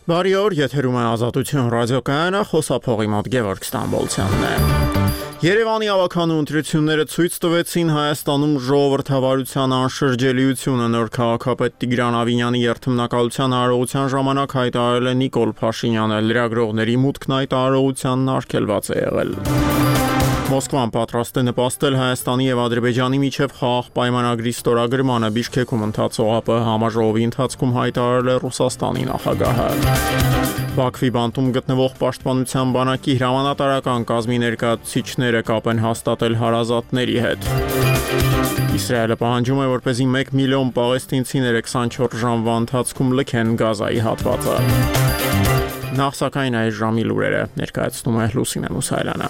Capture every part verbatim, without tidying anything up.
Բարի օր, եթերում է Ազատություն ռադիոկայանը, խոսափողի մոտ Գևորգ Ստամբոլցյանն է։ Երևանի ավականու ընտրությունները ցույց տվեցին Հայաստանում ժողովրդավարության անշրջելիությունը։ Նոր քաղաքապետ Տիգրան Ավինյանի երթմնակալության արարողության ժամանակ հայտարարել է Նիկոլ Փաշինյանը, լրագրողների մուտքն այդ արարողությանն արգելված է եղել։ Մոսկվան պատրաստ է նպաստել Հայաստանի և Ադրբեջանի միջև խաղաղ պայմանագրի ստորագրմանը, Բիշքեքում ընթացող ԱՊՀ համաժողովի ընթացքում հայտարարել է Ռուսաստանի նախագահը։ Բաքվի բանտում գտնվող պաշտպանության բանակի հրամանատարական կազմի ներկայացուցիչները կապ են հաստատել հարազատների հետ։ Իսրայելը պահանջում է, որպեսզի մեկ միլիոն պաղեստինցիները քսանչորս ժամվա ընթացքում լքեն Գազայի հատվածը։ Նախ սակայն այս ժամի լուրերը ներկայացնում է Լուսինե Մուսայելյանը։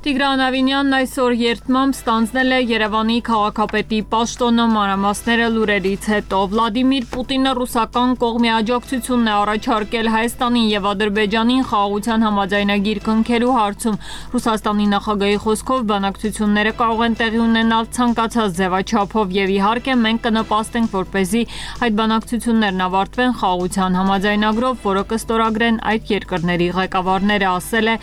Տիգրան Ավինյանն այսօր երթմամբ ստանձնել է Երևանի քաղաքապետի պաշտոնը, մանրամասները լուրերից հետո։ Վլադիմիր Պուտինը ռուսական կողմի աջակցությունն է առաջարկել Հայաստանին և Ադրբեջանին խաղաղության համաձայնագիր կնքելու հարցում։ Ռուսաստանի նախագահի խոսքով բանակցությունները կարող են տեղի ունենալ ցանկացած ձևաչափով և իհարկե մենք կնպաստենք, որպեսզի այդ բանակցություններն ավարտվեն խաղաղության համաձայնագրով, որը կստորագրեն այդ երկրների ղեկավարները, ասել է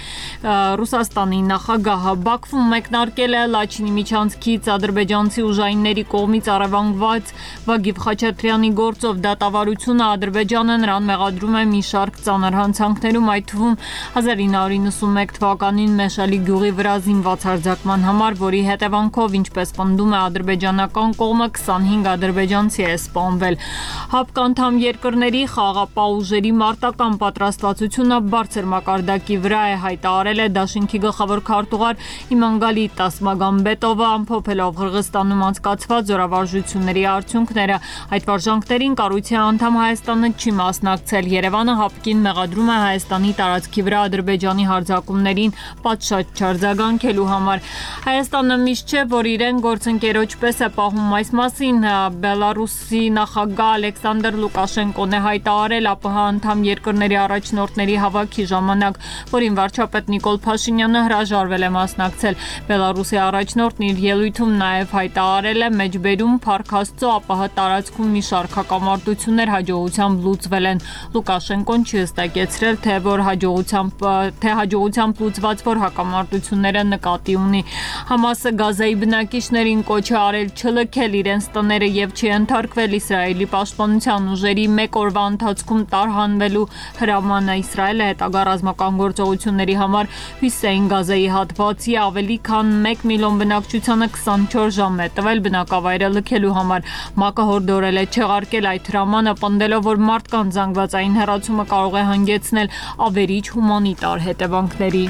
Ռուսաստանի նախագահ Բաքվում մեկնարկել է Լաչինի միջանցքից ադրբեջանցի ուժայինների կողմից առևանգված Վագիվ Խաչատրյանի գործով դատավարությունը Ադրբեջանը նրան մեղադրում է մի շարք ծանր հանցանքներում, այդ թվում հազար ինը հարյուր նվաթ թվականին Մեշալի գյուղի վրա զինված հարձակման համար, որի հետևանքով, ինչպես պնդում է ադրբեջանական կողմը, քսանհինգ ադրբեջանցի է սպանվել։ ՀԱՊԿ անդամ երկրների խաղաղապահ ուժերի մարտական պատրաստվածությունը բարձր մակարդակի վրա է, հայտարարել է Դաշինքի գլխավոր քարտուղար Իմանգալի Տասմագամբետովը, ամփոփելով Ղրղստանում անցկացված զորավարժությունների արդյունքները։ Այդ վարժանքներին կառույցի անդամ Հայաստանը չի մասնակցել։ Երևանը ՀԱՊԿ-ին մեղադրում է Հայաստանի տարածքի վրա Ադրբեջանի հարձակումներին պատշաճ արձագանքելու համար։ Հայաստանը միշտ չէ, որ իրեն գործընկերոջ պես է պահում այս մասին։ Բելարուսի նախագահ Ալեքսանդր Լուկաշենկոն է հայտարարել ԱՊՀ անդամ երկրների առաջնորդների հավաքի ժամանակ, որին վարչապետ Նիկոլ Փաշինյանը հրաժարվել է մասնակցել։ Բելարուսի առաջնորդն իր ելույթում նաև հայտարարել է մեջբերում Փառք Աստծո ԱՊՀ տարածքում մի շարք հակամարտություններ հաջողությամբ լուծվել են։ Լուկաշենկոն չի հստակեցրել, թե որ հաջողությամբ թե հաջողությամբ լուծված որ հակամարտությունները նկատի ունի։ Համասը Գազայի բնակիչներին կոչ է արել չլքել իրենց տները և չի ենթարկվել Իսրայելի պաշտպանության ուժերի մեկ օրվա ընթացքում տարհանվելու հրամանը։ Իսրայելը հետագա ռազմական գործողությունների համար Հյուսեյն Գազայի հատվածի ավելի քան մեկ միլիոն բնակչությանը քսանչորս ժամ է տվել բնակավայրը լքելու համար։ ՄԱԿ-ը հորդորել է չեղարկել այդ հրամանը, պնդելով, որ մարդկանց զանգվածային հեռացումը կարող է հանգեցնել ավերիչ հումանիտար հետևանքների։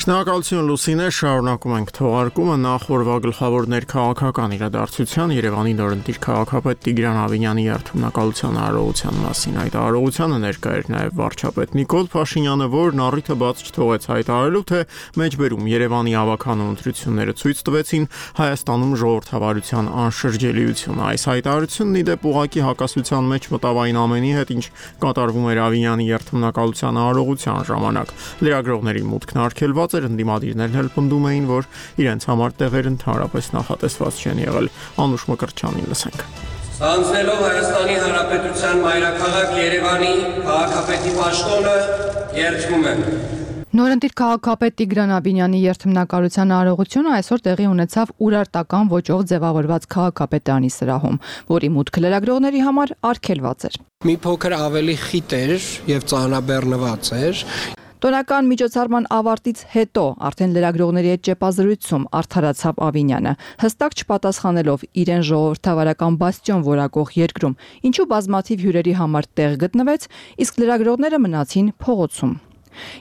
Շնորհակալություն Լուսինե, շարունակում ենք թողարկումը նախ օրվա գլխավոր ներքաղաքական իրադարձության Երևանի նորընտիր քաղաքապետ Տիգրան Ավինյանի երթմնակալության արարողության մասին։ Այդ արարողությանը ներկա էր նաև վարչապետ Նիկոլ Փաշինյանը, որն առիթը բաց չթողեց հայտարարելու, թե մեջբերում Երևանի ավականու ընտրությունները ցույց տվեցին Հայաստանում ժողովրդավարության անշրջելիությունը։ Այս հայտարարությունն ի դեպ ուղղակի հակասության մեջ մտավ այն ամենի հետ, ինչ կատարվում էր Ավինյանի երթմնակալության արարողության ժամանակ։ Լրագրողների մուտքն արգելված էր, ընդդիմադիրներն էլ պնդում էին, որ իրենց համար տեղեր ընդհանրապես նախատեսված չեն եղել։ Անուշ Մկրտչյանին լսենք։ Ստանձնելով Հայաստանի Հանրապետության մայրաքաղաք Երևանի քաղաքապետի պաշտոնը երդվում եմ։ Նորընտիր քաղաքապետ Տիգրան Ավինյանի երթմնակալության արարողությունը այսօր տեղի ունեցավ ուրարտական ոճով ձևավորված քաղաքապետարանի սրահում, որի մուտքը լրագրողների համար արգելված էր։ Մի փոքր ավելի խիտ էր եւ ծանրաբեռնված էր։ Տոնական միջոցառման ավարտից հետո արդեն լրագրողների հետ ճեպազրույցում արդարացավ Ավինյանը, հստակ չպատասխանելով իրեն ժողովրդավարական բաստիոն որակող երկրում, ինչու բազմաթիվ հյուրերի համար տեղ գտնվեց, իսկ լրագրողները մնացին փողոցում։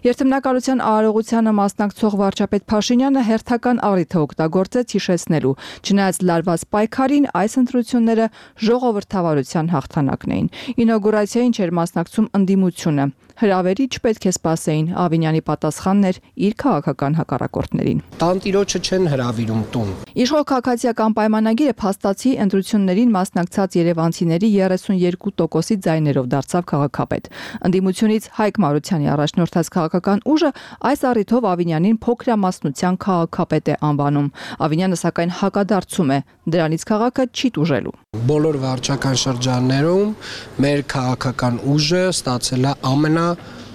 Երթմնակալության արարողությանը մասնակցող վարչապետ Փաշինյանը հերթական առիթ օգտագործեց հիշեցնելու, չնայած լարված պայքարին այս ընտրությունները ժողովրդավարության հաղթանակն էին։ Ինոգուրացիային չէր մասնակցում ընդդիմությունը, Հրավերի չպետք է սպասեին, Ավինյանի պատասխանն էր իր քաղաքական հակառակորդներին։ Տանտիրոջը չեն հրավիրում տուն։ Իշխող քաղաքացիական պայմանագիրը փաստացի ընտրություններին մասնակցած երևանցիների երեսունյոթ տոկոսի ձայներով դարձավ քաղաքապետ։ Ընդդիմությունից Հայկ Մարությանի առաջնորդած քաղաքական ուժը այս առիթով Ավինյանին փոքրամասնության քաղաքապետ է անվանում։ Ավինյանը սակայն հակադարձում է, դրանից քաղաքը չի տուժելու։ Բոլոր վարչական շրջաններում մեր քաղաքական ուժը ստացել է ամենա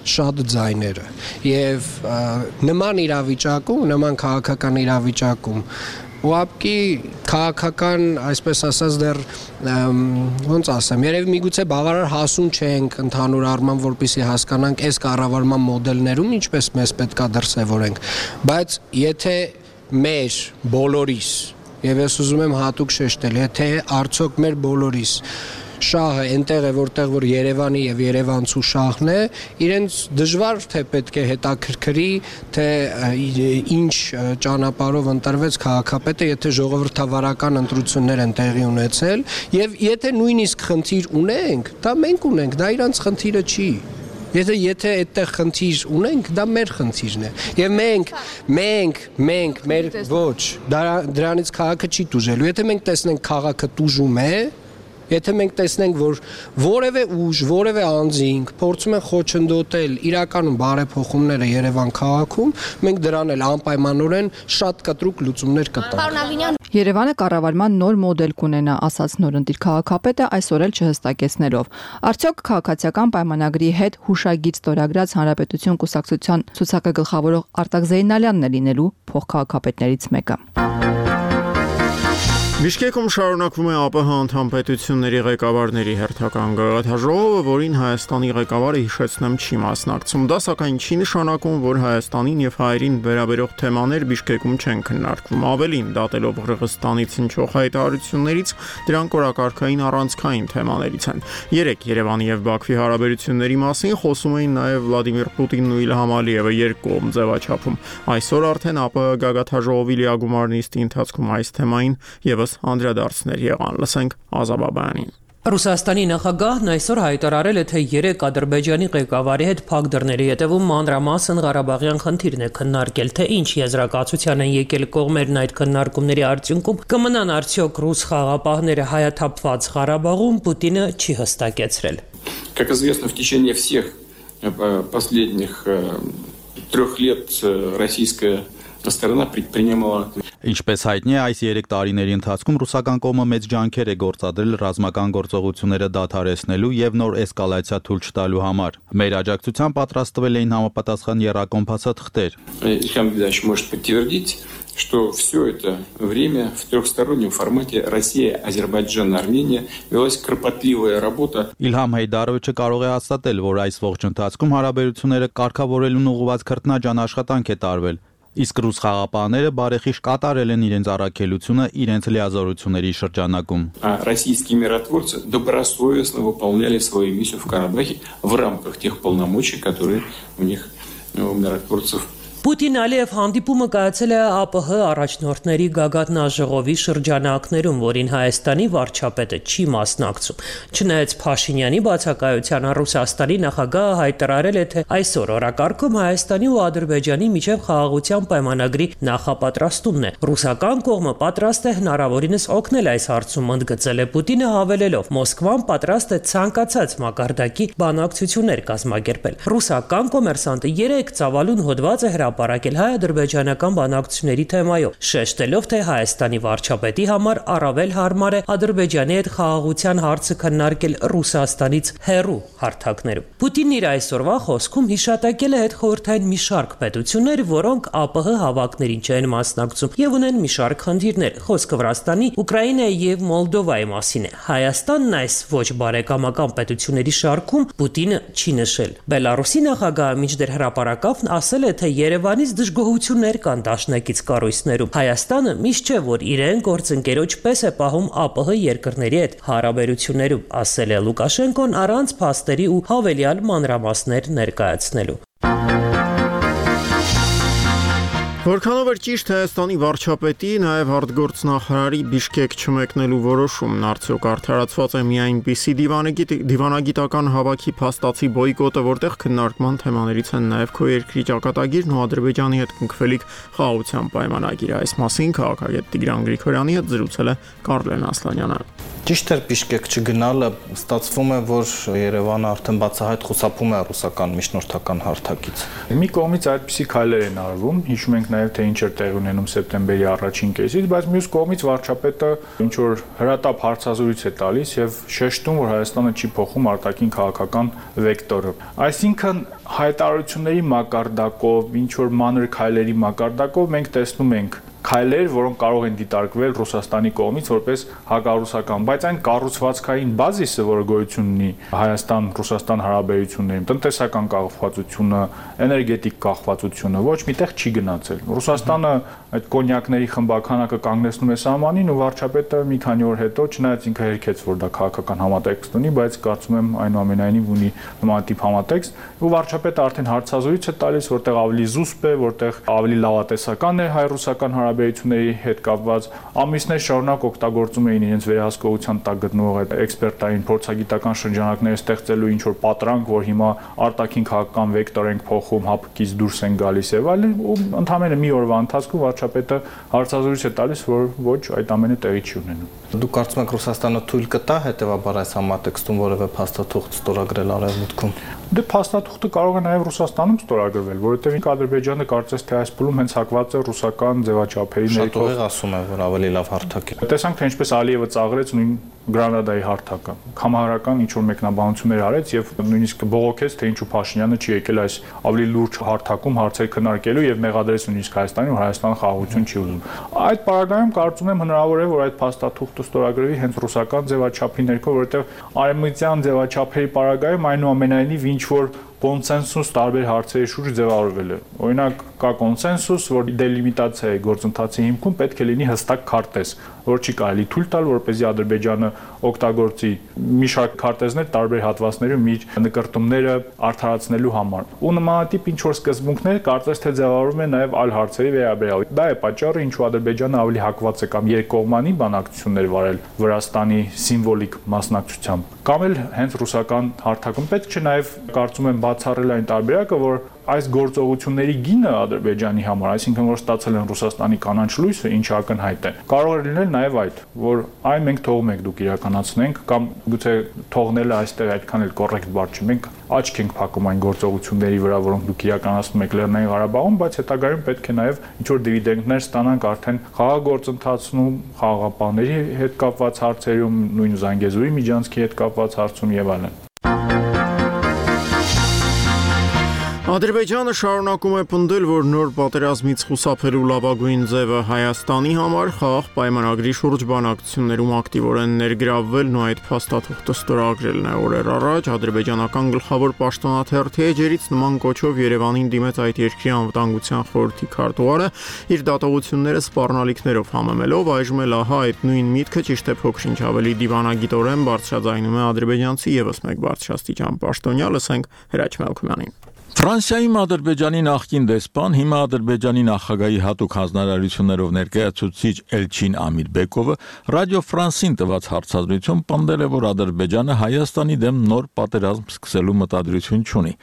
շատ ձայները եւ նման իրավիճակում, նման քաղաքական իրավիճակում ուղղակի քաղաքական, այսպես ասած, դեռ ոնց ասեմ, երևի միգուցե բավարար հասուն չենք ընդհանուր առմամբ, որպեսզի հասկանանք այս կառավարման մոդելներում ինչպես մեզ պետքա դրսևորենք, բայց եթե մեր բոլորիս, եւ ես ուզում եմ հատուկ շեշտել, եթե արդյոք մեր բոլորիս շահը այնտեղ է, որտեղ որ Երևանի եւ Երևանցու շահն է, իրենց դժվար թե պետք է հետաքրքրի, թե ինչ ճանապարհով ընտրվեց քաղաքապետը, եթե ժողովրդավարական ընտրություններ են տեղի ունեցել, եւ եթե նույնիսկ խնդիր ունենք, դա մենք ունենք, դա իրանց խնդիրը չի։ Եթե եթե այդտեղ խնդիր ունենք, դա մեր խնդիրն է։ Եվ մենք, մենք, մենք, մեր ոչ, դրանից քաղաքը չի տուժելու։ Եթե մենք տեսնենք քաղաքը տուժում է, եթե մենք տեսնենք, որ որևէ ուժ, որևէ անձինք փորձում են խոչընդոտել իրականում բարեփոխումները Երևան քաղաքում, մենք դրան էլ անպայմանորեն շատ կտրուկ լուծումներ կտանք։ Երևանը կառավարման նոր մոդել կունենա, ասաց նորընտիր քաղաքապետը այսօր էլ չհստակեցնելով։ Արդյոք քաղաքացիական պայմանագրի հետ հուշագիր ստորագրած Հանրապետություն կուսակցության ցուցակը գլխավորող Արտակ Զեյնալյանն է լինելու փոխքաղաքապետներից մեկը։ Բիշկեկում շարունակվում է ԱՊՀ անդամ պետությունների ղեկավարների հերթական գաղափարժողովը, որին Հայաստանի ղեկավարը հիշեցնեմ չի մասնակցում։ Դա սակայն չի նշանակում, որ Հայաստանին եւ հայերին վերաբերող թեմաներ Բիշկեկում չեն քննարկվում։ Ավելին, դատելով Ղրղստանից հնչող հայտարարություններից, դրանք օրակարգային առանցքային թեմաներից են։ Երեք Երևանի եւ Բաքվի հարաբերությունների մասին խոսում էին նաեւ Վլադիմիր Պուտինն ու Իլհամ Ալիևը երկկողմ ձևաչափում։ Այսօր արդեն ԱՊՀ գաղափարժողովի լիագումար նիստի ընթացքում այս թեմային եւս անդրադարձներ եղան, լսենք Ազաբաբյանին։ Ռուսաստանի նախագահն այսօր հայտարարել է, թե երեք Ադրբեջանի ղեկավարի հետ փակ դռների հետևում մանրամասն Ղարաբաղյան խնդիրն է քննարկել, թե ինչ եզրակացության են եկել կողմերն այդ քննարկումների արդյունքում, կմնան արդյոք ռուս խաղապահները հայաթափված Ղարաբաղում, Պուտինը չի հստակեցրել։ Как известно, в течение всех последних трех лет российская сторона предпринимала. Ինչպես հայտնի է, այս երեք տարիների ընթացքում ռուսական կողմը մեծ ջանքեր է գործադրել ռազմական գործողությունները դադարեցնելու եւ նոր էսկալացիա թույլ չտալու համար։ Մեր աջակցության պատրաստվել էին համապատասխան եռակոմփասը թղթեր։ Ильхам Ильич может подтвердить, что все это время в трехстороннем формате Россия, Азербайджан, Армения велась кропотливая работа. Իլհամ Հեյդարովիչը կարող է հաստատել, որ այս ողջ ընթացքում հարաբերությունները կարգավորելուն ուղղված քրտնաջան աշխատանք է տարվել։ Իսկ ռուս խաղապահները բարեխիղճ կատարել են իրենց առաքելությունը իրենց լիազորությունների շրջանակում։ Российские миротворцы добросовестно выполняли свою миссию в Карабахе в рамках тех полномочий, которые у них, у миротворцев. Պուտին-Ալիև հանդիպումը կայացել է ԱՊՀ առաջնորդների գագաթնաժողովի շրջանակներում, որին Հայաստանի վարչապետը չի մասնակցում։ Չնայած Փաշինյանի բացակայությանը Ռուսաստանի նախագահը հայտարարել է, թե այսօր օրակարգում Հայաստանի ու Ադրբեջանի միջև խաղաղության պայմանագրի նախապատրաստումն է։ Ռուսական կողմը պատրաստ է հնարավորինս օգնել այս հարցում, ընդգծել է Պուտինը, հավելելով. Մոսկվան պատրաստ է ցանկացած մակարդակի բանակցություններ կազմակերպել։ Ռուսական կոմերսանտը երեք ծավալուն հոդված է հրապարակել հայ-ադրբեջանական բանակցությունների թեմայով, շեշտելով, թե Հայաստանի վարչապետի համար առավել հարմար է Ադրբեջանի հետ խաղաղության հարցը քննարկել Ռուսաստանից հեռու հարթակներում։ Պուտինն իր այսօրվա խոսքում հիշատակել է հետխորհրդային մի շարք պետություններ, որոնք ԱՊՀ հավաքներին չեն մասնակցում եւ ունեն մի շարք խնդիրներ։ Խոսքը Վրաստանի, Ուկրաինայի եւ Մոլդովայի մասին է։ Հայաստանն այս ոչ բարեկամական պետությունների շարքում Պուտինը չի նշել։ Բելարուսի նախագահը մինչդեռ հրապարակավ ասել է, թե Երևանից դժգոհություններ կան դաշնակից կառույցներում։ Հայաստանը միշտ չէ, որ իրեն գործընկերոջ պես է պահում ԱՊՀ երկրների հետ հարաբերություններում, ասել է Լուկաշենկոն առանց փաստերի ու հավելյալ մանրամասներ ներկայացնելու։ Որքանով էր ճիշտ Հայաստանի վարչապետի, նաև արտգործնախարարի Բիշկեք չմեկնելու որոշումն, արդյոք արդարացված է մի այնպիսի դիվանագիտական հավաքի փաստացի բոյկոտը, որտեղ քննարկման թեմաներից են նաև քո երկրի ճակատագիրն ու Ադրբեջանի հետ կնքվելիք խաղաղության պայմանագիրը։ Այս մասին քաղաքագետ Տիգրան Գրիգորյանի հետ զրուցել է Կարլեն Ասլանյանը։ Ճիշտ էր Բիշկեք չգնալը, ստացվում է, որ Երևանը արդեն բացահայտ խուսափում է ռուսական միջնորդական հարթակից։ Մի կողմից այդպիսի քայլեր են արվում, հիշում ենք նաև թե ինչ էր տեղի ունենում սեպտեմբերի առաջին կեսից, բայց մյուս կողմից վարչապետը ինչ որ հրատապ հարցազրույց է տալիս եւ շեշտում, որ Հայաստանը չի փոխում արտաքին քաղաքական վեկտորը։ Այսինքն հայտարարությունների մակարդակով, ինչ որ մանր քայլերի մակարդակով մենք տեսնում ենք քայլեր, որոնք կարող են դիտարկվել Ռուսաստանի կողմից որպես հակառուսական, բայց այն կառուցվածքային բազիսը, որը գոյություն ունի Հայաստան-Ռուսաստան հարաբերություններում, տնտեսական կախվածությունը, էներգետիկ կախվածությունը ոչ միտեղ չի գնացել։ Ռուսաստանը այդ կոնյակների խմբականակը կանգնեցնում է սահմանին ու վարչապետը մի քանի օր հետո, չնայած ինքը հերքեց, որ դա քաղաքական համատեքստ ունի, բայց կարծում եմ այնուամենայնիվ ունի նմանատիպ համատեքստ, ու վարչապետը արդեն հարցազրույց է տալիս, որտեղ ավելի զուսպ է, որտեղ ավելի լավատեսական է հայ-ռուսական հարաբերությունների հետ կապված, ամիսներ շարունակ օգտագործում էին իրենց վերահսկողության տակ գտնվող այդ էքսպերտային փորձագիտական շրջանակները ստեղծելու ինչ որ պատրանք, որ հիմա արտաքին քաղաքական վեկտոր ենք փոխում, հապկից դուրս են գալիս եւ այլն, ու ընդհանրապես մի օրվա ընթացքում վարչապետը հարցազրույց է տալիս, որ ոչ, այդ ամենը տեղի չի ունենում։ Դուք կարծում եք Ռուսաստանը թույլ կտա հետեւաբար այս համատեքստում որևէ փաստաթուղթ ստորագրել Արևմուտքում։ Դե փաստաթուղթը կարող է նաև Ռուսաստանում ստորագրվել, որովհետև Ադրբեջանը կարծես թե այս փուլում հենց հակված է ռուսական ձևաչափերի ներքո։ Շատ ասում է, որ ավելի լավ հարթակ է։ Տեսանք, թե ինչպես Ալիևը ծաղրեց նույն Գրանադայի հարթակը։ Համահարական ինչ որ մեկնաբանություններ արեց եւ նույնիսկ բողոքեց, թե ինչու Փաշինյանը չի եկել այս ավելի լուրջ հարթակում հարցեր քննարկելու եւ մեղադրեց նույնիսկ Հայաստանին, որ Հայաստանը խաղաղություն չի ուզում։ Այդ պարագայում կարծում եմ հնարավոր է, որ այդ փաստաթուղթը ստորագրվի հենց ռուսական ձևաչափի ներքո, որովհետեւ արևմտյան ձևաչափերի պարագայում այնուամենայնիվ ինչ որ կոնսենսուս տարբեր հարցերի շուրջ ձևավորվել է։ Օրինակ կա կոնսենսուս, որ դելիմիտացիայի գործընթացի հիմքում պետք է լինի հստակ քարտեզ, որ չի կարելի թույլ տալ, որպեսզի Ադրբեջանը օգտագործի մի շարք քարտեզներ տարբեր հատվածներում իր նկարտումները արդարացնելու համար։ Ու նմանատիպ ինչ որ սկզբունքներ կարծես թե ձևավորվում են նաև այլ հարցերի վերաբերյալ։ Դա է պատճառը, ինչու Ադրբեջանը ավելի հակված է կամ երկկողմանի բանակցություններ վարել Վրաստանի սիմվոլիկ մասնակցությամբ, կամ էլ հենց ռուսական հարթակում։ Պետք չէ նաև կարծում եմ բացառել այն տարբերակը, որ այս գործողությունների գինը Ադրբեջանի համար, այսինքն որ ստացել են Ռուսաստանի կանաչ լույսը, ինչը ակնհայտ է, կարող է լինել նաև այդ, որ այ մենք թողում ենք դուք իրականացնենք, կամ գուցե թողնելը այստեղ այդքան էլ կոռեկտ բառ չի, մենք աչք ենք փակում այն գործողությունների վրա, որոնք դուք իրականացնում եք Լեռնային Ղարաբաղում, բայց հետագայում պետք է նաև ինչ որ դիվիդենդներ ստանանք արդեն խաղաղ գործընթացում, խաղաղապահների հետ կապված հարցերում, նույն Զանգեզուրի միջանցքի հետ կապված հարցում եւ այլն։ Ադրբեջանը շարունակում է պնդել, որ նոր պատերազմից խուսափելու լավագույն ձևը Հայաստանի համար խաղաղ պայմանագրի շուրջ բանակցություններում ակտիվորեն ներգրավվելն ու այդ փաստաթուղթը ստորագրելն է։ Օրեր առաջ ադրբեջանական գլխավոր պաշտոնաթերթի էջերից նման կոչով Երևանին դիմեց այդ երկրի անվտանգության խորհրդի քարտուղարը, իր դատողությունները սպառնալիքներով համեմելով, այժմ էլ ահա այդ նույն միտքը ճիշտ է փոքր-ինչ ավելի դիվանագիտորեն բարձրաձայնում է ադրբեջանցի եւս մեկ բարձրաստիճան պաշտոնյա, լսենք Հրաչ Մելքումյանին։ Ֆրանսիայում Ադրբեջանի նախկին դեսպան, հիմա Ադրբեջանի նախագահի հատուկ հանձնարարություններով ներկայացուցիչ Էլչին Ամիրբեկովը Ռադիո Ֆրանսին տված հարցազրույցում պնդել է, որ Ադրբեջանը Հայաստանի դեմ նոր պատերազմ սկսելու մտադրություն չունի։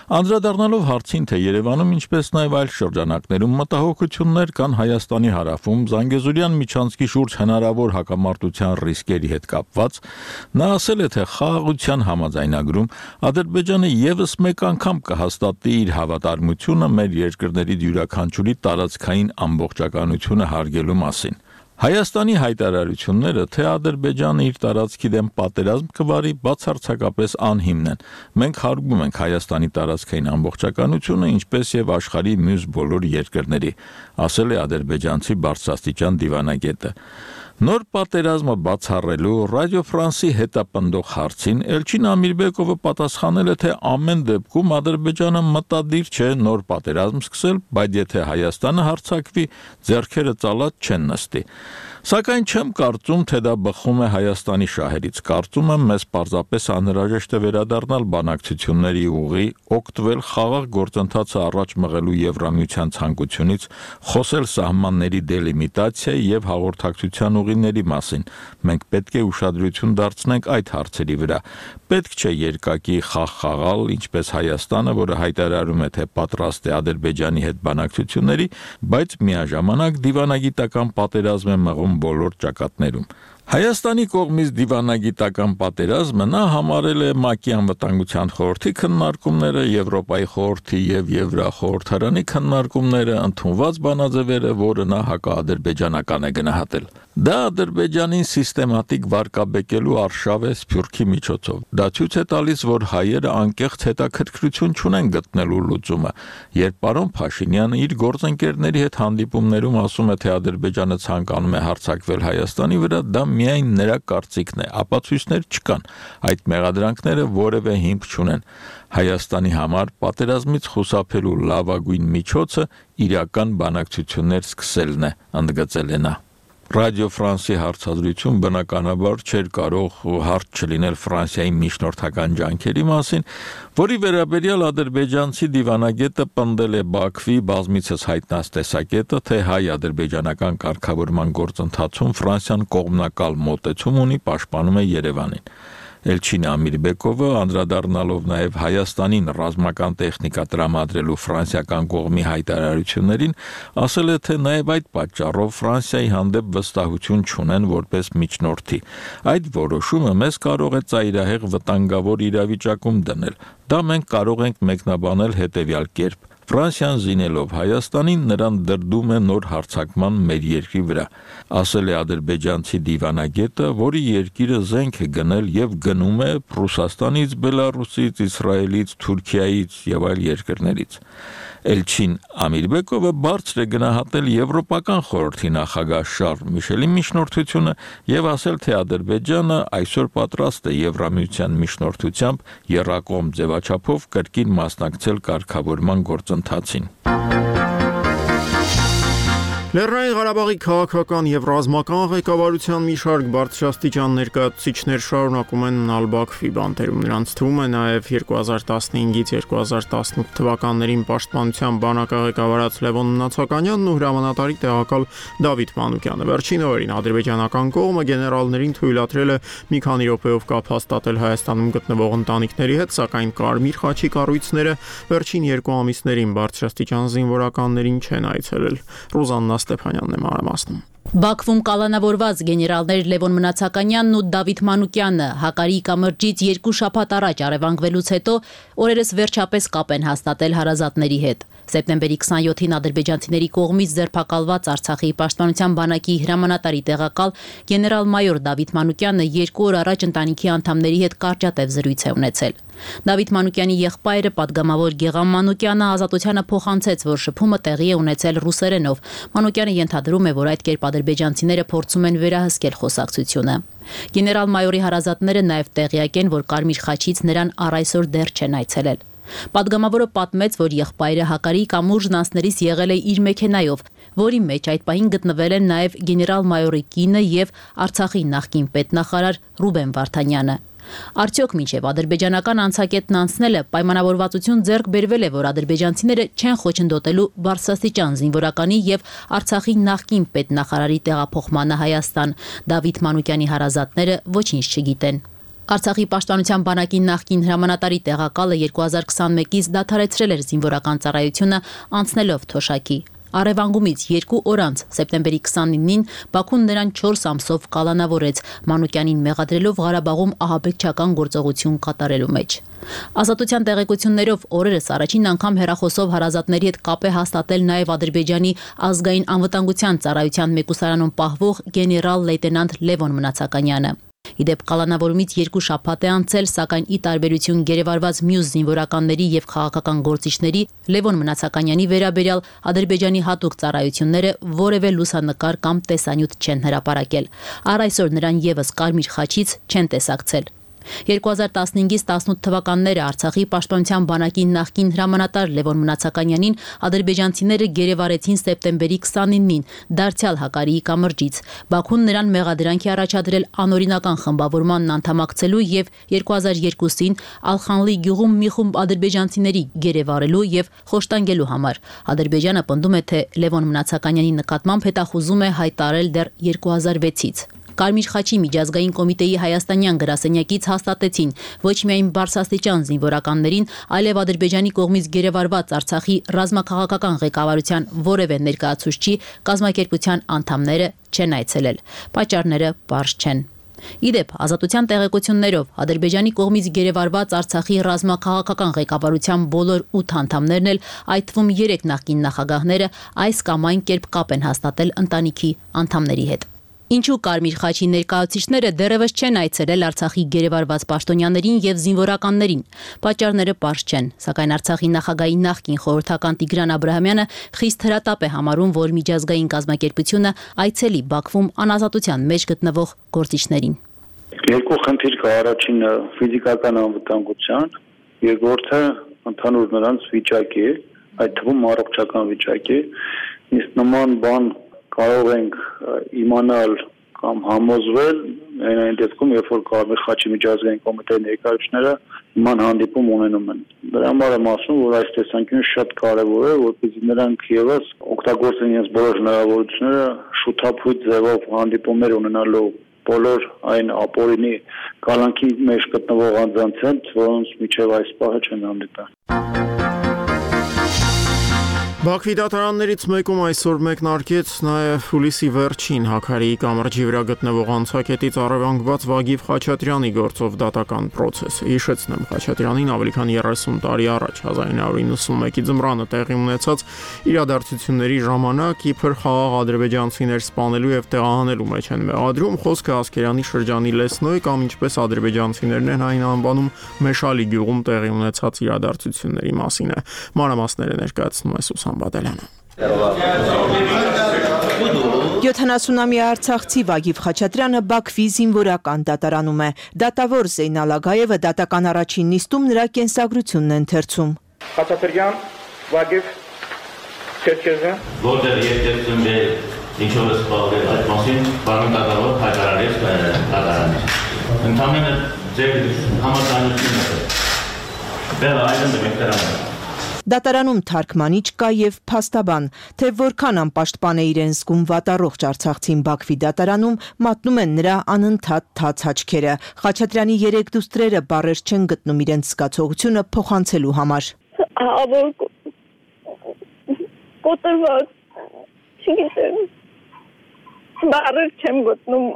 Անդրադառնալով հարցին, թե Երևանում, ինչպես նաև այլ շրջանակներում մտահոգություններ կան Հայաստանի հարավում Զանգեզուրյան միջանցքի շուրջ հնարավոր հակամարտության ռիսկերի հետ կապված, նա ասել է, թե խաղաղության համաձայնագրում Ադրբեջանը եւս մեկ անգամ կհաստատի իր հավատարմությունը մեր երկրների յուրաքանչյուրի տարածքային ամբողջականությունը հարգելու մասին։ Հայաստանի հայտարարությունները, թե Ադրբեջանը իր տարածքի դեմ պատերազմ կվարի, բացարձակապես անհիմն են։ Մենք հարգում ենք Հայաստանի տարածքային ամբողջականությունը, ինչպես եւ աշխարհի մյուս բոլոր երկրների, ասել է ադրբեջանցի բարձրաստիճան դիվանագետը։ Նոր պատերազմը բացառելու Ռադիո Ֆրանսի հետապնդող հարցին Էլչին Ամիրբեկովը պատասխանել է, թե ամեն դեպքում Ադրբեջանը մտադիր չէ նոր պատերազմ սկսել, բայց եթե Հայաստանը հարձակվի, ձեռքերը ծալած չեն նստի։ Սակայն չեմ կարծում, թե դա բխում է Հայաստանի շահերից։ Կարծում եմ, մեզ պարզապես անհրաժեշտ է վերադառնալ բանակցությունների ուղի, օգտվել խաղաղ գործընթացը առաջ մղելու Եվրամիության ցանկությունից, խոսել սահմանների դելիմիտացիայի եւ հաղորդակցության ուղիների մասին։ Մենք պետք է ուշադրություն դարձնենք այդ հարցերի վրա։ Պետք չէ երկակի խաղ խաղալ, ինչպես Հայաստանը, որը հայտարարում է, թե պատրաստ է Ադրբեջանի հետ բանակցությունների, բայց միաժամանակ դիվանագիտական պատերազմ է մղում բոլոր ճակատներում։ Հայաստանի կողմից դիվանագիտական պատերազմը նա համարել է ՄԱԿ-ի անվտանգության խորհրդի քննարկումները, Եվրոպայի խորհրդի եւ Եվրախորհրդարանի քննարկումները, ընդունված բանաձևերը, որը նա հակաադրբեջանական է գնահատել։ Դա Ադրբեջանին սիստեմատիկ վարկաբեկելու արշավ է Սփյուռքի միջոցով։ Դա ցույց է տալիս, որ հայերը անկեղծ հետաքրքրություն չունեն գտնելու լուծումը։ Երբ պարոն Փաշինյանը իր գործընկերների հետ հանդիպումներում ասում է, թե Ադրբեջանը ցանկանում է հարձակվել Հայաստանի վրա, դա միայն նրա կարծիքն է, ապացույցներ չկան։ Այդ մեղադրանքները որևէ հիմք չունեն։ Հայաստանի համար պատերազմից խուսափելու լավագույն միջոցը իրական բանակցություններ սկսելն է, ընդգծել է նա։ Ռադիո Ֆրանսի հարցազրույցում բնականաբար չէր կարող հարց չլինել Ֆրանսիայի միջնորդական ջանքերի մասին, որի վերաբերյալ ադրբեջանցի դիվանագետը պնդել է Բաքվի բազմիցս հայտնած տեսակետը, թե հայ-ադրբեջանական կարգավորման գործընթացում Ֆրանսիան կողմնակալ մոտեցում ունի, պաշտպանում է Երևանին։ Էլչին Ամիրբեկովը, անդրադառնալով նաև Հայաստանին ռազմական տեխնիկա տրամադրելու ֆրանսիական կողմի հայտարարություններին, ասել է, թե նաև այդ պատճառով Ֆրանսիայի հանդեպ վստահություն չունեն որպես միջնորդի։ Այդ որոշումը մեզ կարող է ծայրահեղ վտանգավոր իրավիճակում դնել։ Դա մենք կարող ենք մեկնաբանել հետևյալ կերպ. Ֆրանսիան զինելով Հայաստանին նրան դրդում է նոր հարձակման մեր երկրի վրա, ասել է ադրբեջանցի դիվանագետը, որի երկիրը զենք է գնել եւ գնում է Ռուսաստանից, Բելարուսից, Իսրայելից, Թուրքիայից եւ այլ երկրներից։ Էլչին Ամիրբեկովը բարձր է գնահատել Եվրոպական խորհրդի նախագահ Շարլ Միշելի միջնորդությունը եւ ասել, թե Ադրբեջանը այսօր պատրաստ է Եվրամիության միջնորդությամբ եռակողմ ձևաչափով կրկին մասնակցել կարգավորման գործընթացին։ Լեռնային Ղարաբաղի քաղաքական եւ ռազմական ղեկավարության մի շարք բարձրաստիճան ներկայացուցիչներ շարունակում են մնալ Բաքվի բանտերում։ Նրանց թվում է նաեւ երկու հազար տասնհինգից երկու հազար տասնութ թվականներին պաշտպանության բանակը ղեկավարած Լևոն Մնացականյանն ու հրամանատարի տեղակալ Դավիթ Մանուկյանը։ Վերջին օրերին ադրբեջանական կողմը գեներալներին թույլատրել է մի քանի րոպեով կապ հաստատել Հայաստանում գտնվող ընտանիքների հետ, սակայն Կարմիր խաչի կառույցները վերջին երկու ամիսներին բարձրաստիճան զինվորականներին չեն այցելել։ Ռուզաննա Ստեփանյանն է մանրամասնում։ Բաքվում կալանավորված գեներալներ Լևոն Մնացականյանն ու Դավիթ Մանուկյանը Հակարի կամրջից երկու շաբաթ առաջ առևանգվելուց հետո օրերս վերջապես կապ են հաստատել հարազատների հետ։ Սեպտեմբերի քսանյոթին ադրբեջանցիների կողմից ձերբակալված Արցախի պաշտպանության բանակի հրամանատարի տեղակալ գեներալ-մայոր Դավիթ Մանուկյանը երկու օր առաջ ընտանիքի անդամների հետ կարճատև զրույց է ունեցել։ Դավիթ Մանուկյանի եղբայրը պատգամավոր Գեգամ Մանուկյանը ազատությանը փոխանցեց, որ շփումը տեղի է ունեցել ռուսերենով։ Մանուկյանը ենթադրում է, որ այդ կերպ ադրբեջանցիները փորձում են վերահսկել խոսակցությունը։ Գեներալ-մայորի հարազատները նաև տեղյակ են, որ Կարմիր խաչից նրան առ այսօր դեռ չեն այցելել։ Պատգամավորը պատմեց, որ եղբայրը Հակարի կամուրջն անցներից եղել է իր մեքենայով, որի մեջ այդ պահին գտնվել են նաև գեներալ-մայորի կինը եւ Արցախի նախկին պետնախարար Ռուբեն Վարդանյանը։ Արդյոք մինչև ադրբեջանական անցակետն անցնելը պայմանավորվածություն ձեռք բերվել է, որ ադրբեջանցիները չեն խոչընդոտելու բարձրաստիճան զինվորականի եւ Արցախի նախկին պետնախարարի տեղափոխմանը Հայաստան։ Դավիթ Մանուկյանի հարազատները ոչինչ չգիտեն։ Արցախի պաշտպանության բանակի նախկին հրամանատարի տեղակալը երկու հազար քսանմեկից դադարեցրել էր զինվորական ծառայությունը, անցնելով թոշակի։ Առևանգումից երկու օր անց սեպտեմբերի քսանինին Բաքուն նրան չորս ամսով կալանավորեց, Մանուկյանին մեղադրելով Ղարաբաղում ահաբեկչական գործողություն կատարելու մեջ։ Ազատության տեղեկություններով օրերս առաջին անգամ հեռախոսով հարազատների հետ կապ է հաստատել նաև Ադրբեջանի ազգային անվտանգության ծառայության մեկուսարանում պահվող գեներալ լեյտենանտ Լևոն Մնացականյանը։ Իդեպ կալանավորումից երկու շաբաթ է անցել, սակայն ի տարբերություն գերեվարված մյուս զինվորականների եւ քաղաքական գործիչների Լևոն Մնացականյանի վերաբերյալ Ադրբեջանի հատուկ ծառայությունները որևէ լուսանկար կամ տեսանյութ չեն հրապարակել։ Առ այսօր նրան եւս Կարմիր խաչից չեն տեսակցել։ երկու հազար տասնհինգից տասնութ թվականները Արցախի պաշտպանության բանակի նախկին հրամանատար Լևոն Մնացականյանին ադրբեջանցիները գերեվարեցին սեպտեմբերի քսանինին Դարձյալ Հակարիի կամրջից։ Բաքուն նրան մեղադրանք է առաջադրել անօրինական խմբավորմանն անդամակցելու եւ երկու հազար երկուսին Ալխանլի գյուղում մի խումբ ադրբեջանցիների գերեվարելու եւ խոշտանգելու համար։ Ադրբեջանը պնդում է, թե Լևոն Մնացականյանի նկատմամբ հետախուզում է հայտարարել դեռ երկու հազար վեցից։ Կարմիր խաչի միջազգային կոմիտեի հայաստանյան գրասենյակից հաստատեցին ոչ միայն բարձրաստիճան զինվորականներին, այլև Ադրբեջանի կողմից գերեվարված Արցախի ռազմաքաղաքական ղեկավարության որևէ ներկայացուցչի կազմակերպության անդամները չեն այցելել։ Պատճառները պարզ չեն։ Իդեպ ազատության տեղեկություններով Ադրբեջանի կողմից գերեվարված Արցախի ռազմաքաղաքական ղեկավարության բոլոր ութ անդամներն էլ, այդ թվում երեք նախկին նախագահները, այս կամ այն կերպ կապ են հաստատել ընտանիքի անդամների հետ։ Ինչու Կարմիր խաչի ներկայացուցիչները դեռևս չեն այցելել Արցախի գերեվարված պաշտոնյաներին եւ զինվորականներին։ Պատճառները պարզ չեն, սակայն Արցախի նախագահի նախկին խորհրդական Տիգրան Աբրահամյանը խիստ հրատապ է համարում, որ միջազգային կազմակերպությունը այցելի Բաքվում անազատության մեջ գտնվող գործիչներին։ Երկու խնդիր կա, առաջինը ֆիզիկական անվտանգության, երկրորդը ընդհանուր նրանց վիճակի, այդ թվում առողջական վիճակի։ Իսկ նման բան կարող ենք իմանալ կամ համոզվել այն դեպքում, երբ որ Կարմիր խաչի միջազգային կոմիտեի ներկայացուցիչները նման հանդիպում ունենում են։ Դրա համար եմ ասում, որ այս տեսանկյունը շատ կարևոր է, որպեսզի նրանք եւս օգտագործեն իրենց բոլոր հնարավորությունները շուտափույթ ձևով հանդիպումներ ունենալու բոլոր այն ապօրինի կալանքի մեջ գտնվող անձանց հետ, որոնց միջև այս պահը չեն հանդիպել։ Բաքվի դատարաններից մեկում այսօր մեկնարկեց նաև հուլիսի վերջին Հակարիի կամրջի վրա գտնվող անցակետից առևանգված Վագիվ Խաչատրյանի գործով դատական պրոցեսը։ Հիշեցնեմ, Խաչատրյանին ավելի քան երեսուն տարի առաջ հազար ինը հարյուր նվաթ ձմռանը տեղի ունեցած իրադարձությունների ժամանակ իբր խաղաղ ադրբեջանցիներ սպանելու եւ տեղահանելու մեջ են մեղադրում, խոսքը Ասկերանի շրջանի Լեսնոյ կամ ինչպես ադրբեջանցիներն են այն անվանում Մեշալի գյուղում տեղի ունեցած իրադարձությունների մասին է։ Մանրամասները ներկայացնում է Սուսան Բադալյանը։ յոթանասունամյա արցախցի Վագիվ Խաչատրյանը Բաքվի զինվորական դատարանում է։ Դատավոր Զեյնալ Ագայևը դատական առաջին նիստում նրա կենսագրությունն է ընթերցում։ Խաչատրյան Վագիվ Չերքեզը որտեղ երկեցում է ինչով է սպառվել այդ մասին բանն դատավոր հայտարարեց դատարանից։ Ընդհանրապես ձեր համաձայնությունն է։ Դեռ այլն դեպքերն Դատարանում թարգմանիչ կա եւ փաստաբան, թե որքան անպաշտպան է իրեն զգում վատառողջ արցախցին Բաքվի դատարանում, մատնում են նրա անընդհատ թաց աչքերը։ Խաչատրյանի երեք դուստրերը բառեր չեն գտնում իրենց զգացողությունը փոխանցելու համար։ Ավոր կոտրված, չգիտեմ, բառեր չեմ գտնում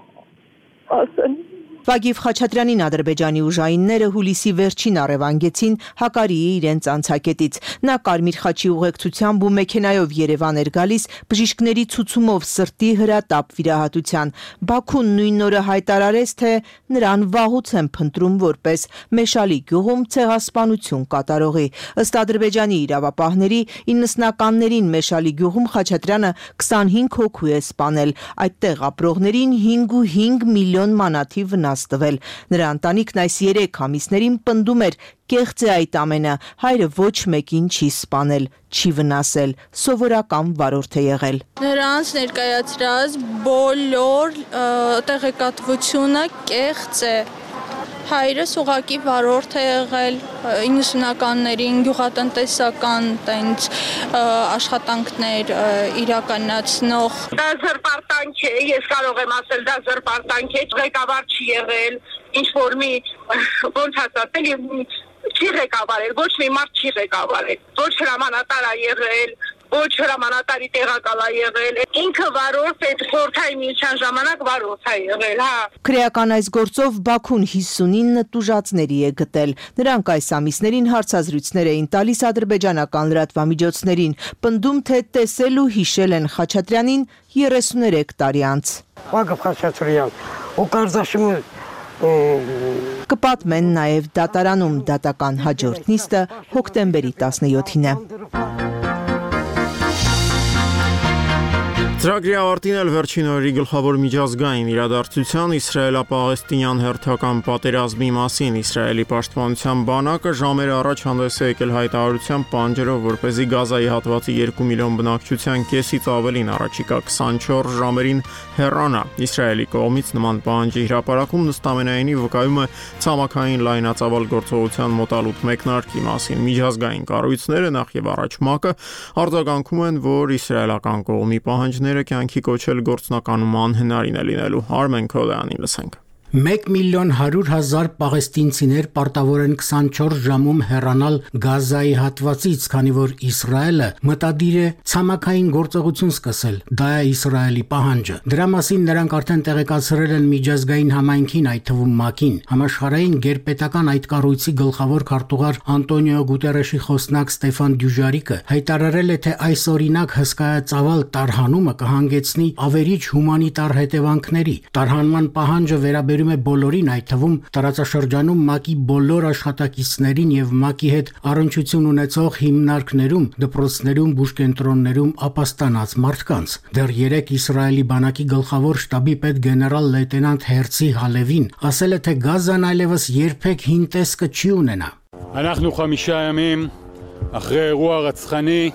ասել։ Վագիվ Խաչատրյանին Ադրբեջանի ուժայինները հուլիսի վերջին առևանգեցին Հակարիի իրենց անցակետից։ Նա Կարմիր խաչի ուղեկցությամբ ու մեքենայով Երևան էր գալիս բժիշկների ցուցումով սրտի հրատապ վիրահատության։ Բաքուն նույն օրը հայտարարեց, թե նրան վաղուց են փնտրում որպես Մեշալի գյուղում ցեղասպանություն կատարողի։ Ըստ ադրբեջանի իրավապահների իննսնականներին Մեշալի գյուղում Խաչատրյանը քսանհինգ հոգու է սպանել։ Այդտեղ ապրողներին հինգ միլիոն մանաթի վնաս տվել։ Նրա ընտանիքն այս երեք ամիսներին պնդում էր կեղծ է այդ ամենը, հայրը ոչ մեկին չի սպանել, չի վնասել, սովորական վարորդ է եղել։ Նրանց ներկայացրած բոլոր տեղեկատվությունը կեղծ է։ Հայրս ուղղակի վարորդ է եղել իննսունականներին գյուղատնտեսական տենց աշխատանքներ իրականացնող։ Դա զրպարտանք է, ես կարող եմ ասել, դա զրպարտանք է, ղեկավար չի եղել, ինչ որ մի ոնց ասել, չի ղեկավարել, ոչ մի մարդ չի ղեկավարել, ոչ հրամանատար է եղել, ոչ հրամանատարի տեղակալ է եղել, ինքը վարորդ է, խորհրդային միության ժամանակ վարորդ է եղել, հա։ Քրեական այս գործով Բաքուն հիսունինը տուժածների է գտել։ Նրանք այս ամիսներին հարցազրույցներ էին տալիս ադրբեջանական լրատվամիջոցներին, պնդում, թե տեսել ու հիշել են Խաչատրյանին երեսուներեք տարի անց։ Վագիվ Խաչատրյան, ու կարծաշիմը Կպատմեն նաև դատարանում դատական հաջորդ նիստը հոկտեմբերի տասնյոթին է։ Ծրագրի ավարտին էլ վերջին օրերի գլխավոր միջազգային իրադարձության իսրայելա-պաղեստինյան հերթական պատերազմի մասին Իսրայելի պաշտպանության բանակը ժամեր առաջ հանդես է եկել հայտարարությամբ պանջերով, որպեսզի Գազայի հատվածի երկու միլիոն բնակչության կեսից ավելին առաջիկա քսանչորս ժամերին հեռանա։ Իսրայելի կողմից նման պահանջի հրապարակում նստամենայինի վկայում է ցամաքային լայնածավալ գործողության մոտալուտ մեկնարկի մասին։ Միջազգային կառույցները նախ եւ առաջ ՄԱԿ-ը արձագանքում են, որ իսրայելական կողմի պահանջները կյանքի կոչել գործնականում անհնարին է լինելու։ Արմեն Քոլյանին լսենք։ մեկ միլիոն հարյուր հազար պաղեստինցիներ պարտավոր են քսանչորս ժամում հեռանալ Գազայի հատվածից, քանի որ Իսրայելը մտադիր է ցամաքային գործողություն սկսել։ Դա է Իսրայելի պահանջը։ Դրա մասին նրանք արդեն տեղեկացրել են միջազգային համայնքին, այդ թվում ՄԱԿ-ին։ Համաշխարհային գերպետական այդ կառույցի գլխավոր քարտուղար Անտոնիո Գուտերեշի խոսնակ Ստեֆան Դյուժարիկը հայտարարել է, թե այս օրինակ հսկայածավալ տարհանումը կհանգեցնի ավերիչ հումանիտար հետևանքների։ Տարհանման պահանջը վերաբերում է բոլորին, այդ թվում տարածաշրջանում ՄԱԿ-ի բոլոր աշխատակիցներին եւ ՄԱԿ-ի հետ առնչություն ունեցող հիմնարկներում, դպրոցներում, բուժկենտրոններում ապաստանած մարդկանց։ Դեռ երեկ Իսրայելի բանակի գլխավոր շտաբի պետ գեներալ լեյտենանտ Հերցի Հալևին ասել է, թե Գազան այլևս երբեք հին տեսքը չի ունենա։ אנחנו חמישה ימים אחרי אירוע רצחני,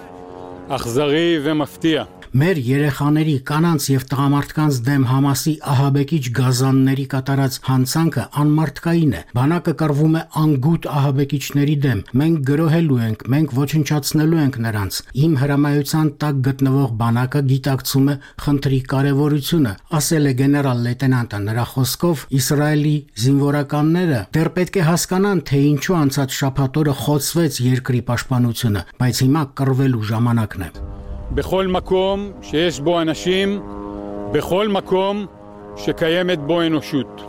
אכזרי ומפתיע. Մեր երեխաների, կանանց եւ տղամարդկանց դեմ Համասի ահաբեկիչ գազանների կատարած հանցանքը անմարդկային է։ Բանակը կռվում է անգութ ահաբեկիչների դեմ։ Մենք գրոհելու ենք, մենք ոչնչացնելու ենք նրանց։ Իմ հրամայության տակ գտնվող բանակը գիտակցում է խնդրի կարևորությունը, ասել է գեներալ լեյտենանտը։ Նրա խոսքով Իսրայելի զինվորականները դեռ պետք է հասկանան, թե ինչու անցած շաբաթ օրը խոցվեց երկրի պաշտպանությունը, բայց հիմա կռվելու ժամանակն է։ בכל מקום שיש בו אנשים, בכל מקום שקיימת בו אנושות.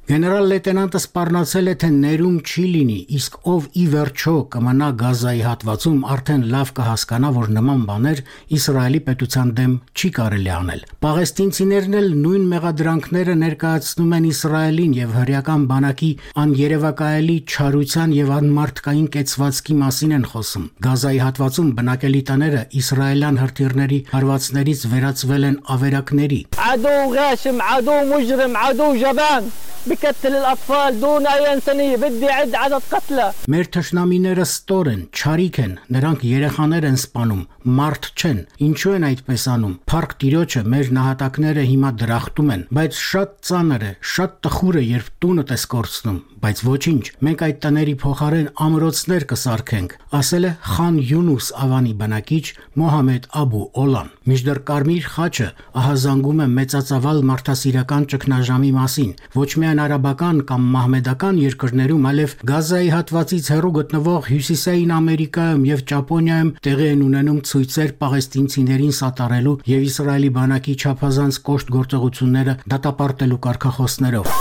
Գեներալ լեյտենանտը սպառնացել է, թե ներում չի լինի, իսկ ով ի վերջո կմնա Գազայի հատվածում, արդեն լավ կհասկանա, որ նման բաներ Իսրայելի պետության դեմ չի կարելի անել։ Պաղեստինցիներն էլ նույն մեղադրանքները ներկայացնում են Իսրայելին եւ հրեական բանակի աներևակայելի չարության եւ անմարդկային կեցվածքի մասին են խոսում։ Գազայի հատվածում բնակելի տները իսրայելյան հրթիռների հարվածներից վերածվել են ավերակների։ عدو غاشم عدو مجرم عدو جبان بقتل الأطفال دون أي إنسانية بدي أعد عدد قتلى Մեր թշնամիները ստոր են, չարիք են, նրանք երեխաներ են սպանում, մարդ չեն։ Ինչու են այդպես անում։ Փառք Տիրոջը, մեր նահատակները հիմա դրախտում են, բայց շատ ծանր է, շատ տխուր է, երբ տունդ ես կորցնում, բայց ոչինչ, մենք այդ տների փոխարեն ամրոցներ կսարքենք, ասել է Խան Յունուս Ավանի բնակիչ Մոհամեդ Աբու Օլան։ Մինչդեռ Կարմիր խաչը ահազանգում է մեծածավալ մարդասիրական ճգնաժամի մասին, ոչ միայն արաբական կամ մահմեդական երկրներում, այլև Գազայի հատվածից հեռու գտնվող Հյուսիսային Ամերիկայում եւ Ճապոնիայում տեղի են ունենում ցույցեր պաղեստինցիներին սատարելու եւ Իսրայելի բանակի չափազանց կոշտ գործողությունները դատապարտելու կարգախոսներով։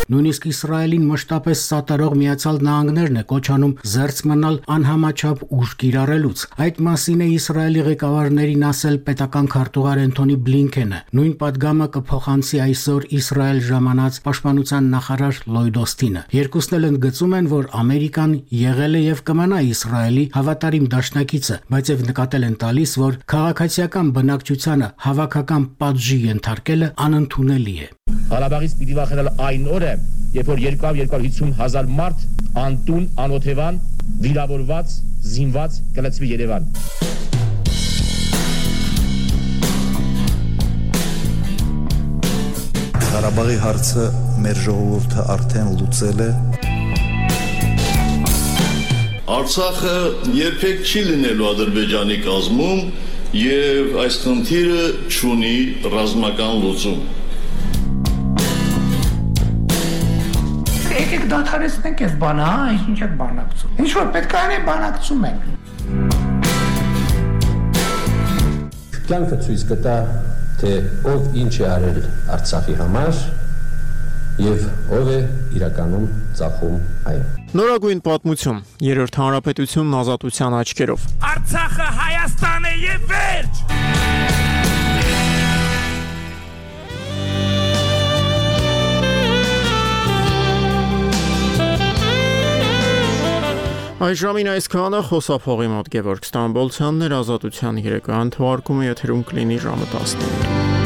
Նույնիսկ Իսրայելին մշտապես սատարող Միացյալ Նահանգներն է կոչանում զերծ մնալ անհամաչափ ուժ կիրառելուց։ Այդ մասին է Իսրայելի ղեկավարներին ասել պետական քարտուղար Էնթոնի Բլինքենը։ Նույն պատգամը կփոխանցի այսօր Իսրայել ժամանած պաշտպանության նախարար Լոյդ Օստինը։ Երկուսն էլ ընդգծում են, որ Ամերիկան եղել է եւ կմնա Իսրայելի հավատարիմ դաշնակիցը, բայց եւ նկատել են տալիս, որ քաղաքացիական բնակչությանը հավաքական պատժի ենթարկելը անընդունելի է։ Ղարաբաղից պիտի վախենալ այն օրը, երբ որ երկու հարյուր հիսուն հազար մարդ անտուն, անօթևան, վիրավորված, զինված կլցվի Երևան։ Ղարաբաղի հարցը մեր ժողովուրդը արդեն լուծել է։ Արցախը երբեք չի լինելու Ադրբեջանի կազմում եւ այս խնդիրը չունի ռազմական լուծում։ Եկեք դադարեցնենք այս բանը, հա, ինչ եք բանակցում։ Ինչ որ պետք է անենք, բանակցում ենք։ Կյանքը ցույց կտա, թե ով ինչ է արել Արցախի համար եւ ով է իրականում ծախում այն։ Նորագույն պատմություն երրորդ հանրապետությունն ազատության աչքերով։ Արցախը Հայաստան է եւ վերջ։ Այժմին այսքանը խոսափողի մոտ Գևորգ Ստամբոլցյանն էր ազատության երեկոյան թվարկումը եթերում կլինի ժամը տասնինը։